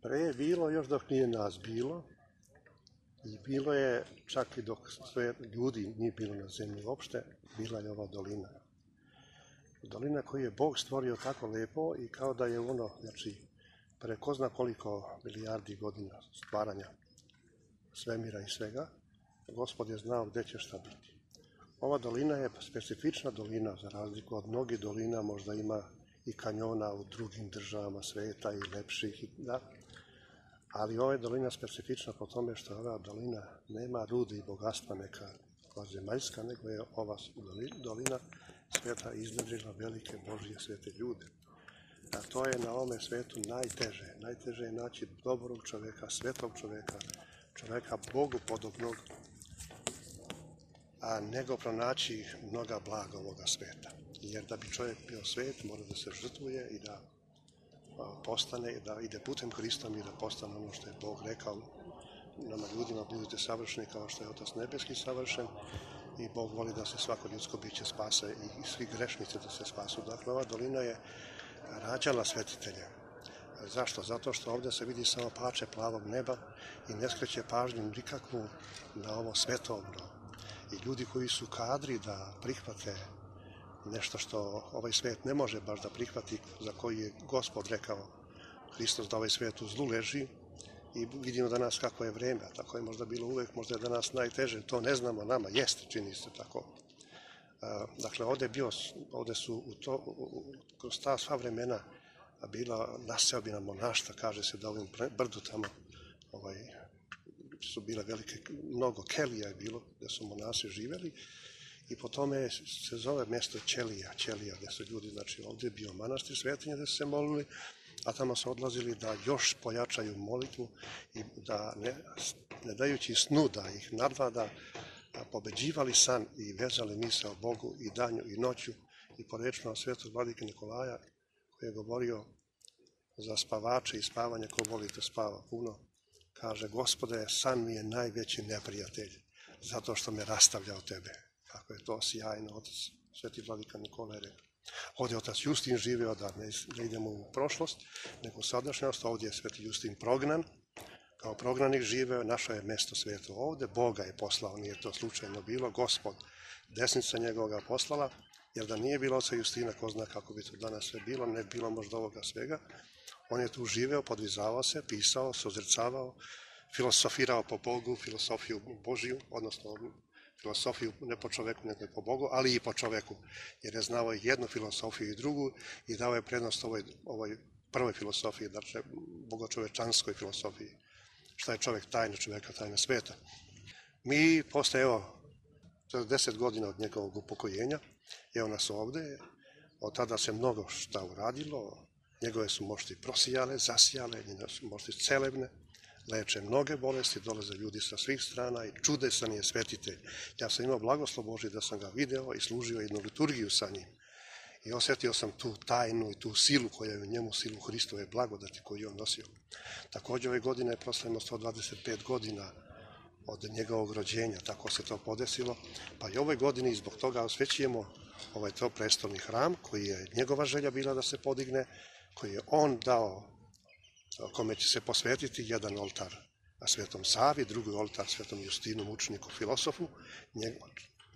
Pre je bilo još dok nije nas bilo i bilo je čak i dok sve ljudi nije bilo na zemlji uopšte, bila je ova dolina. Dolina koju je Bog stvorio tako lepo i kao da je ono, znači, pre ko zna koliko milijardi godina stvaranja svemira i svega, Gospod je znao gde će šta biti. Ova dolina je specifična dolina, za razliku od mnogih dolina, možda ima i kanjona u drugim državama sveta i lepših, da. Ali ova je dolina specifična po tome što ova dolina nema rude i bogatstva neka zemaljska, nego je ova dolina sveta iznedrila velike Božje svete ljude. A to je na ovome svetu najteže. Najteže je naći dobrog čoveka, svetog čoveka, čoveka Bogu podobnog, a nego pronaći mnoga blaga ovoga sveta. Jer da bi čovjek bio svet, mora da se žrtvuje i da postane, da ide putem Hristom i da postane ono što je Bog rekao nama ljudima, budite savršeni kao što je Otac nebeski savršen, i Bog voli da se svako ljudsko biće spase i svi grešnici da se spasu. Dakle, ova dolina je rađala svetitelje. Zašto? Zato što ovdje se vidi samo pače plavog neba i ne skreće pažnju nikakvu na ovo svetovno. I ljudi koji su kadri da prihvate nešto što ovaj svet ne može baš da prihvati, za koji je Gospod rekao Hristos da ovaj svet u zlu leži, i vidimo danas kako je vreme, a tako je možda bilo uvek, možda je danas najteže, to ne znamo, nama jeste, čini se tako. Dakle, ovde su kroz ta sva vremena bila naseobina monaštva, kaže se da ovim brdu tamo su bile velike, mnogo kelija je bilo, gde su monasi živeli, i po tome se zove mjesto Ćelija, gde su ljudi, znači ovdje je bio manastir Svetinje gde su se molili, a tamo su odlazili da još pojačaju molitvu i da ne dajući snu da ih nadvlada, pobeđivali san i vezali misao Bogu i danju i noću, i po rečima svetog vladike Nikolaja koji je govorio za spavače i spavanje, ko voli da spava puno, kaže: Gospode, san mi je najveći neprijatelj zato što me rastavlja od tebe. Kako je to sjajno otac sveti vladika Nikola je rekao. Ovdje je otac Justin živeo, da ne idemo u prošlost, nego sadašnjost. Ovdje je sveti Justin prognan, kao prognanik živeo, našao je mesto sveto ovdje, Boga je poslao, nije to slučajno bilo, Gospod, desnica njegova ga poslala, jer da nije bilo oca Justina, ko zna kako bi to danas sve bilo, ne bilo možda ovoga svega. On je tu živeo, podvizavao se, pisao, sozrcavao, filosofirao po Bogu, filosofiju Božiju, odnosno filosofiju ne po čoveku, nego po Bogu, ali i po čoveku, jer je znao jednu filosofiju i drugu i dao je prednost ovoj prvoj filosofiji, dakle bogočovečanskoj filosofiji. Šta je čovek? Tajna čoveka, tajna sveta. Mi posle, 10 godina od njegovog upokojenja, evo nas ovde, od tada se mnogo šta uradilo, njegove su mošti prosijale, zasijale, njegove su mošti celebne, leče mnoge bolesti, dolaze ljudi sa svih strana i čudesan je svetitelj. Ja sam imao blagoslov Božji da sam ga video i služio jednu liturgiju sa njim. I osjetio sam tu tajnu i tu silu koja je u njemu, silu Hristove blagodati koju je on nosio. Također ove godine proslavimo 125 godina od njegovog rođenja, tako se to podesilo. Pa i ove godine i zbog toga osvećujemo ovaj to prestolni hram koji je njegova želja bila da se podigne, koji je on dao, kome će se posvetiti jedan oltar Svetom Savi, drugi oltar Svetom Justinu, mučeniku, filosofu,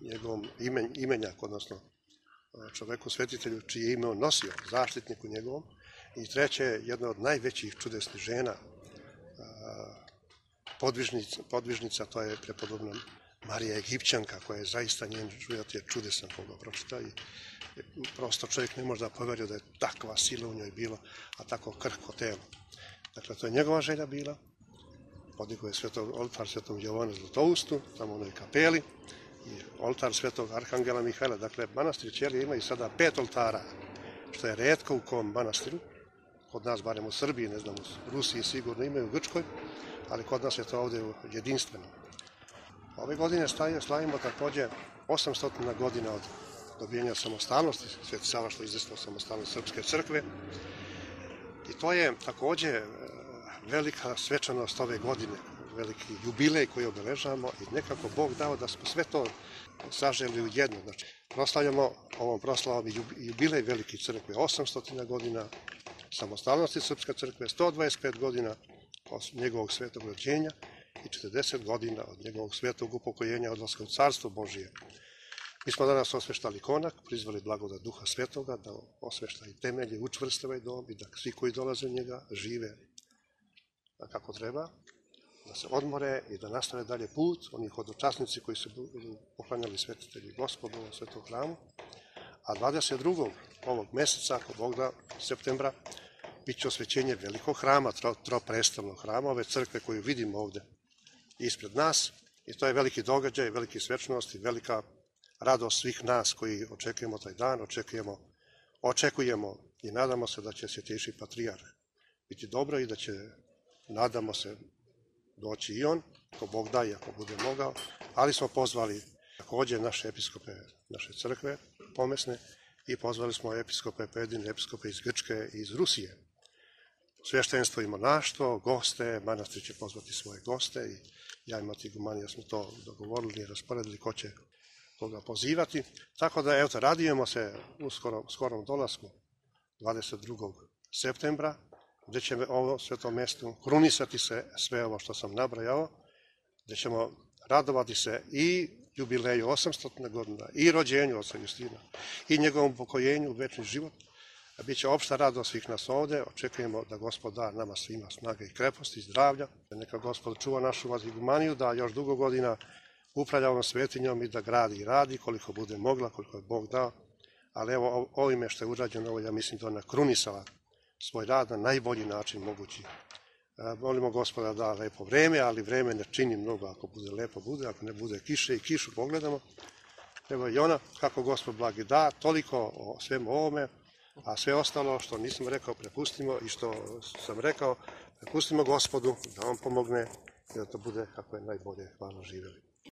njegovom imenjak, odnosno čoveku svetitelju čije ime on nosio, zaštitniku njegovom, i treće, jedna od najvećih čudesnih žena, podvižnica, to je prepodobna Marija Egipćanka, koja je zaista, njen život je čudesan koga pročita i prosto čovjek ne može da poverio da je takva sila u njoj bilo, a tako krhko telo. Dakle, to je njegova želja bila. Podigao je oltar svetom Jovanu Zlatoustu, tamo u onoj kapeli, i oltar svetog Arhangela Mihajla. Dakle, manastir Ćelije ima i sada 5 oltara, što je retko u kom manastiru. Kod nas, barem u Srbiji, ne znam, u Rusiji sigurno imaju, u Grčkoj, ali kod nas je to ovdje jedinstveno. Ove godine slavimo također 800 godina od dobijenja samostalnosti, Sveti Sava što je izvestio samostalnost Srpske crkve. I to je također velika svečanost ove godine, veliki jubilej koji obeležavamo i nekako Bog dao da smo sve to saželi u jedno. Znači, proslavljamo ovom proslavom jubilej velike crkve, 800 godina samostalnosti Srpske crkve, 125 godina njegovog svetog rođenja i 40 godina od njegovog svetog upokojenja, odlaska u carstvo Božije. Mi smo danas osveštali konak, prizvali blagodat Duha Svetoga da osvešta i temelje, učvrste ovaj dom i da svi koji dolaze u njega žive kako treba, da se odmore i da nastave dalje put, oni hodočasnici koji su poklanjali svetitelji Gospodu u svetom hramu. A 22. ovog meseca, ako Bog da, septembra, bit će osvećenje velikog hrama, troprestavnog hrama, ove crkve koju vidimo ovde ispred nas. I to je veliki događaj, veliki svečnost i velika radost svih nas koji očekujemo taj dan, očekujemo i nadamo se da će Svetejši patrijarh biti dobro i da će, nadamo se, doći i on, ako Bog da i ako bude mogao, ali smo pozvali takođe naše episkope, naše crkve pomesne i pozvali smo episkope, pojedine episkope iz Grčke i iz Rusije. Sveštenstvo i monaštvo, goste, manastir će pozvati svoje goste i ja i Matigumanija smo to dogovorili i rasporedili ko će toga pozivati. Tako da, evo, radujemo se u skorom dolasku 22. septembra, gde će ovo svetom mestu krunisati se sve ovo što sam nabrajao, gde ćemo radovati se i jubileju 800. godina, i rođenju oca Justina, i njegovom upokojenju u večni život. Biće opšta radost svih nas ovde, očekujemo da Gospod da nama svima snage i kreposti i zdravlja, da neka Gospod čuva našu Matigumaniju, da još dugo godina upravlja ovom svetinjom i da gradi i radi koliko bude mogla, koliko je Bog dao, ali evo ovime što je urađeno, ovo ja mislim da ona krunisala svoj rad na najbolji način mogući. Molimo Gospoda da lepo vreme, ali vreme ne čini mnogo, ako bude lepo bude, ako ne bude kiše i kišu pogledamo. Evo i ona, kako Gospod blagi da, toliko o svemu ovome, a sve ostalo što nisam rekao prepustimo i što sam rekao prepustimo Gospodu da on pomogne i da to bude kako je najbolje. Hvala, živeli.